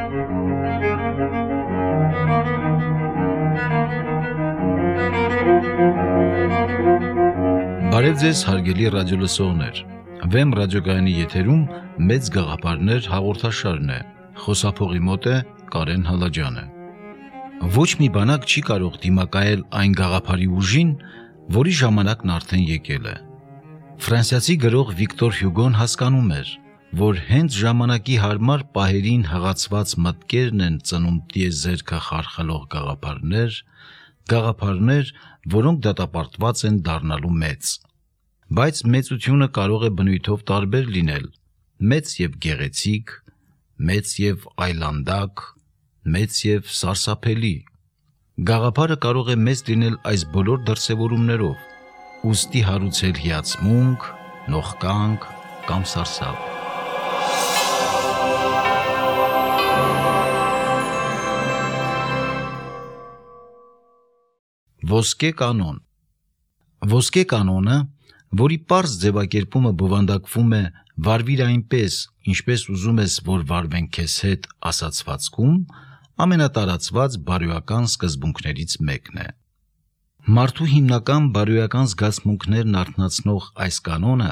Բարև ձեզ հարգելի ռադիոլսողներ, Վեմ ռադիոգայանի եթերում մեծ գաղափարներ հաղորդաշարն է, խոսափողի մոտ է Կարեն Հալաջյանը։ Ոչ մի բանակ չի կարող դիմակայել այն գաղափարի ուժին, որի ժամանակն արդեն եկել է։ Ֆրանսիացի գրող Վիկտոր Հյուգոն հասկանում էր, որ հենց ժամանակի հարմար պահերին հղացված մտքերն են ծնում տիեզերքը խարխլող գաղափարներ, որոնք դատապարտված են դառնալու մեծ։ Բայց մեծությունը կարող է բնույթով տարբեր լինել, մեծ և գեղեցիկ, մեծ և այլանդակ, մեծ և սարսափելի։ Գաղափարը կարող է մեծ լինել այս բոլոր դրսևորումներով, ուստի հարուցել հիացմունք, նողկանք կամ սարսափ։ Ոսկե կանոն։ Ոսկե կանոնը, որի պարզ ձևակերպումը բովանդակվում է «վարվիր այնպես, ինչպես ուզում ես, որ վարվեն քեզ հետ» ասացվածքում, ամենատարածված բարոյական սկզբունքներից մեկն է։ Մարդու հիմնական բարոյական զգացմունքներն արթնացնող այս կանոնը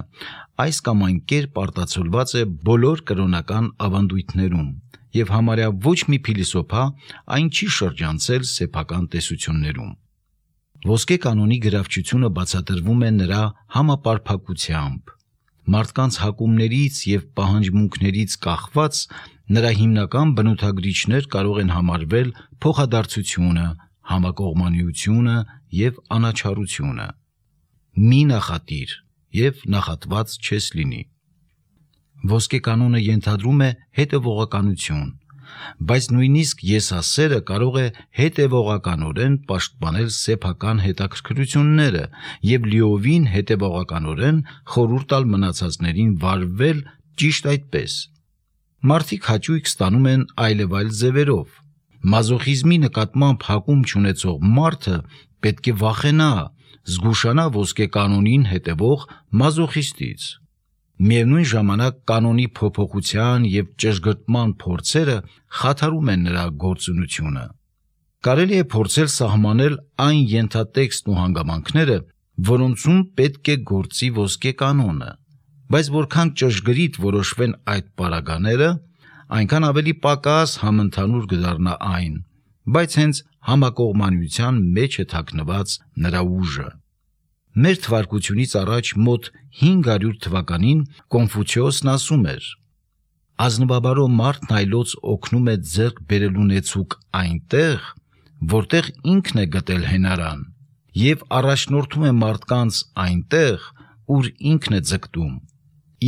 այս կամ այն կերպ արտացոլված է բոլոր կրոնական ավանդույթներում, և համարյա ոչ մի փիլիսոփա այն չի շրջանցել սեփական տեսություններում։ Ոսկե կանոնի գրավչությունը բացատրվում է նրա համապարփակությամբ։ Մարդկանց հակումներից և պահանջմունքներից կախված նրա հիմնական բնութագրիչներ կարող են համարվել փոխադարձությունը, համակողմանիությունը և անաչառությունը։ Մի նախատիր և նախատված չես լինի։ Ոսկե կանոնը ենթադրում է հետևողականություն, բայց նույնիսկ եսասերը կարող է հետևողականորեն պաշտպանել սեփական հետաքրքրությունները և լիովին հետևողականորեն խորհուրդ տալ մնացածներին վարվել ճիշտ այդպես։ Մարդիկ հաճույք ստանում են այլևայլ ձևերով։ Մազոխիզմի նկատմամբ հակում չունեցող մարդը պետք է վախենա, զգուշանա ոսկե կանոնին հետևող մազոխիստից։ Միևնույն ժամանակ կանոնի փոփոխության և ճշգրտման փորձերը խաթարում են նրա գործունեությունը։ Կարելի է փորձել սահմանել այն ենթատեքստն ու հանգամանքները, որոնցում պետք է գործի ոսկե կանոնը, բայց որքան ճշգրիտ որոշվեն այդ պարագաները, այնքան ավելի պակաս համընդհանուր կդառնա այն, բայց հենց համակողմանիության մեջ է թաքնված նրա ուժը։ Մեր թվարկությունից առաջ մոտ 500 թվականին Կոնֆուցիոսն ասում էր. «Ազնվաբարո մարդն այլոց օգնում է ձեռք բերելու նեցուկ այնտեղ, որտեղ ինքն է գտել հենարան, և առաջնորդում է մարդկանց այնտեղ, ուր ինքն է ձգտում։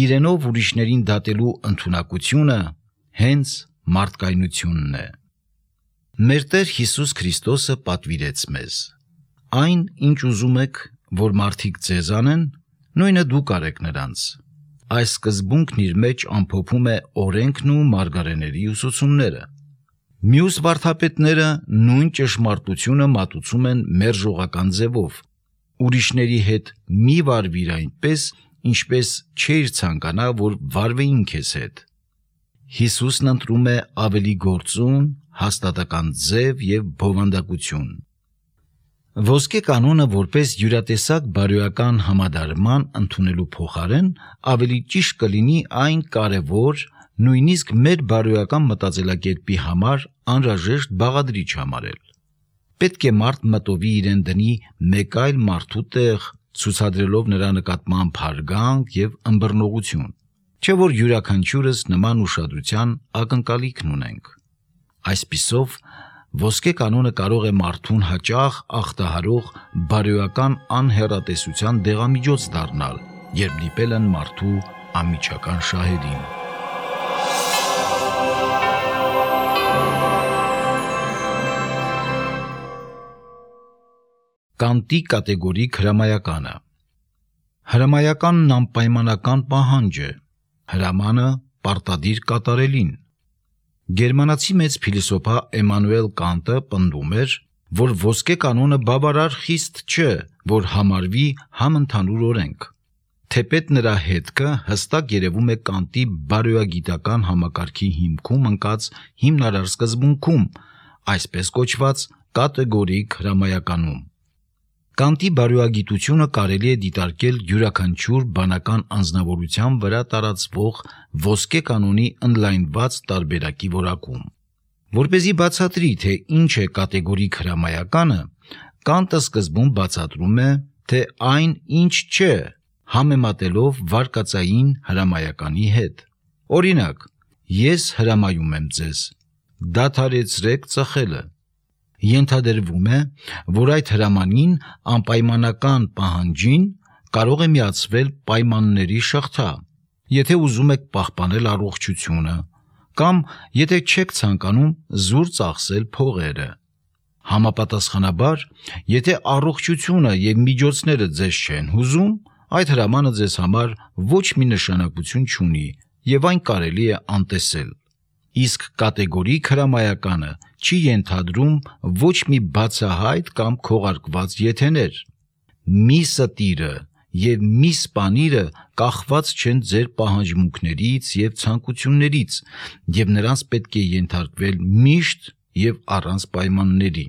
Իրենով ուրիշներին դատելու ընդունակությունը հենց մարդկայնությունն է»։ Մեր Տեր Հիսուս Քրիստոսը պատվիրեց մեզ. «Այն, ինչ ուզում եք, որ մարդիկ ձեզ անեն, նույնը դուք արեք նրանց»։ Այս սկզբունքն իր մեջ ամփոփում է օրենքն ու մարգարեների ուսուցումները։ Մյուս վարդապետները նույն ճշմարտությունը մատուցում են մերժողական ձևով. ուրիշների հետ մի վարվիր այնպես, ինչպես չէիր ցանկանա, որ վարվեին քեզ հետ։ Հիսուսն ընտրում է ավելի գործուն, հաստատական ձև և բովանդակություն։ Ոսկե կանոնը որպես յուրատեսակ բարոյական համադարման ընդունելու փոխարեն ավելի ճիշտ կլինի այն կարևոր, նույնիսկ մեր բարոյական մտածելակերպի համար անհրաժեշտ բաղադրիչ համարել։ Պետք է մարդ մտովի իրեն դնի մեկ այլ մարդու տեղ, ցուցադրելով նրա նկատմամբ հարգանք և ըմբռնողություն, չէ՞ որ յուրաքանչյուրս նման ուշադրության ակնկալիքն ունենք։ Այսպիսով, ոսկե կանոնը կարող է մարդուն հաճախ ախտահարող բարոյական անհեռատեսության դեղամիջոց դառնալ, երբ դիպել են մարդու անմիջական շահերին։ Կանտի կատեգորիկ հրամայականը։ Հրամայականն անպայմանական պահանջ է, հրամանը պարտադիր կատարելին։ Գերմանացի մեծ փիլիսոփա Էմանուել Կանտը պնդում էր, որ ոսկե կանոնը բավարար խիստ չէ, որ համարվի համընդհանուր օրենք։ թեպետ նրա հետքը հստակ երևում է Կանտի բարոյագիտական համակարգի հիմքում ընկած հիմնարար սկզբունքում, այսպես կոչված կատեգորիկ հրամայականում։ Կանտի բարոյագիտությունը կարելի է դիտարկել յուրաքանչյուր բանական անձնավորության վրա տարածվող ոսկե կանոնի ընդլայնված տարբերակի որակում։ Որպեսզի բացատրի, թե ինչ է կատեգորիկ հրամայականը, Կանտը սկզբում բացատրում է, թե այն ինչ չէ, համեմատելով վարկածային հրամայականի հետ։ Օրինակ, ես հրամայում եմ ձեզ, դադարեցրեք ծխելը։ Ենթադրվում է, որ այդ հրամանին անպայմանական պահանջին կարող է միացվել պայմանների շղթա, եթե ուզում եք պահպանել առողջությունը, կամ եթե չեք ցանկանում զուր ծախսել փողերը։ Համապատասխանաբար, եթե առողջությունը եւ միջոցները ձեզ չեն հուզում, այդ հրամանը ձեզ համար ոչ մի նշանակություն չունի եւ այն կարելի է անտեսել։ Իսկ կատեգորիկ հրամայականը չի ենթադրում ոչ մի բացահայտ կամ քողարկված եթեներ։ Մի ստիրը եւ մի սպանիրը կախված չեն ձեր պահանջմունքներից եւ ցանկություններից, եւ նրանց պետք է ենթարկվել միշտ եւ առանց պայմանների։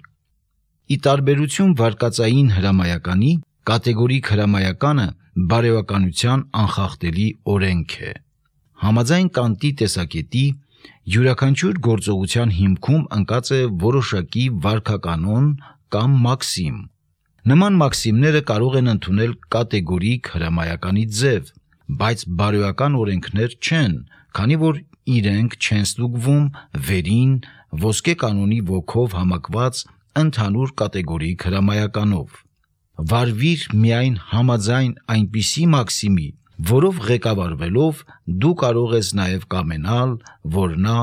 Ի տարբերություն վարկածային հրամայականի, կատեգորիկ հրամայականը բարոյականության անխախտելի օրենք է։ Համաձայն Կանտի տեսակետի, յուրաքանչյուր գործողության հիմքում ընկած է որոշակի վարքականոն կամ մաքսիմ։ Նման մաքսիմները կարող են ընդունել կատեգորիկ հրամայականի ձև, բայց բարոյական օրենքներ չեն, քանի որ իրենք չեն ստուգվում վերին ոսկե կանոնի ոգով համակված ընդհանուր կատեգորիկ հրամայականով։ Վարվիր միայն համաձայն այնպիսի մաքսիմի, որով ղեկավարվելով դու կարող ես նաև կամենալ, որ նա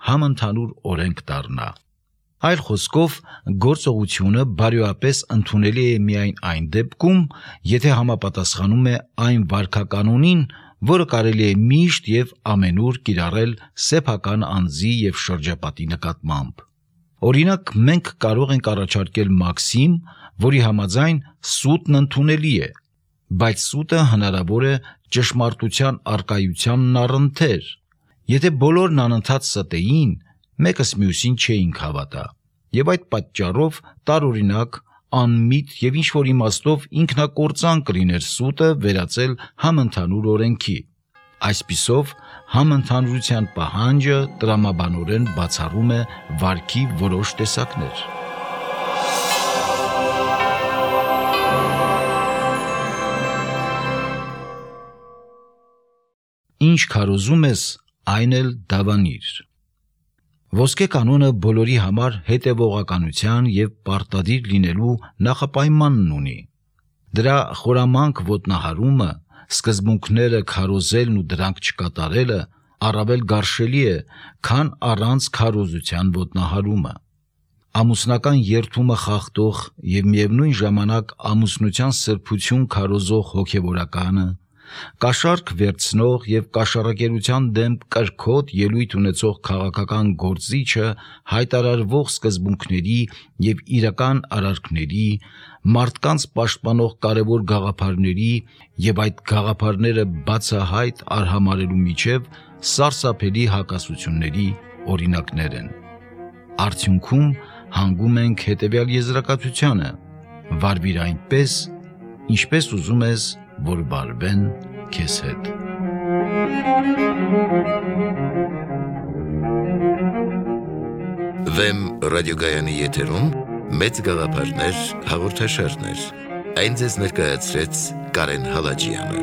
համընդհանուր օրենք դառնա։ Այլ խոսքով, գործողությունը բարոյապես ընդունելի է միայն այն դեպքում, եթե համապատասխանում է այն վարքականոնին, որը կարելի է միշտ եւ ամենուր կիրառել սեփական անձի եւ շրջապատի նկատմամբ։ Օրինակ, մենք կարող ենք առաջարկել մաքսիմ, որի համաձայն սուտն ընդունելի է, բայց սուտը հնարավոր է ճշմարտության առկայությանն առընթեր։ Եթե բոլորն անընդհատ ստեին, մեկս մյուսին չէինք հավատա, եւ այդ պատճառով տարօրինակ, անմիտ եւ ինչ-որ իմաստով ինքնակործան կլիներ սուտը վերածել համընդհանուր օրենքի։ Այսպիսով, համընդհանուրության պահանջը տրամաբանորեն բացառում է վարքի որոշ տեսակներ։ Ինչ քարոզում ես, այն էլ դավանիր։ Ոսկե կանոնը բոլորի համար հետևողականության եւ պարտադիր լինելու նախապայմանն ունի։ Դրա խորամանկ ոտնահարումը, սկզբունքները քարոզելն ու դրանք չկատարելը առավել գարշելի է, քան առանց քարոզության ոտնահարումը։ Ամուսնական երդումը խախտող եւ միևնույն ժամանակ ամուսնության սրբություն քարոզող հոգեվորականը, կաշառք վերցնող եւ կաշառակերության դեմ կրքոտ ելույթ ունեցող քաղաքական գործիչը հայտարարվող սկզբունքների եւ իրական արարքների, մարդկանց պաշտպանող կարևոր գաղափարների եւ այդ գաղափարները բացահայտ արհամարելու միջև սարսափելի հակասությունների օրինակներ են։ Արդյունքում հանգում ենք հետեւյալ եզրակացությանը. վարվիր այնպես, ինչպես ուզում ես, որ վարվեն քեզ հետ։ Վեմ ռադիոգայանի եթերում մեծ գաղափարներ հաղորդաշարներ։ Այն ձեզ ներկայացրեց Կարեն Հալաջյանը։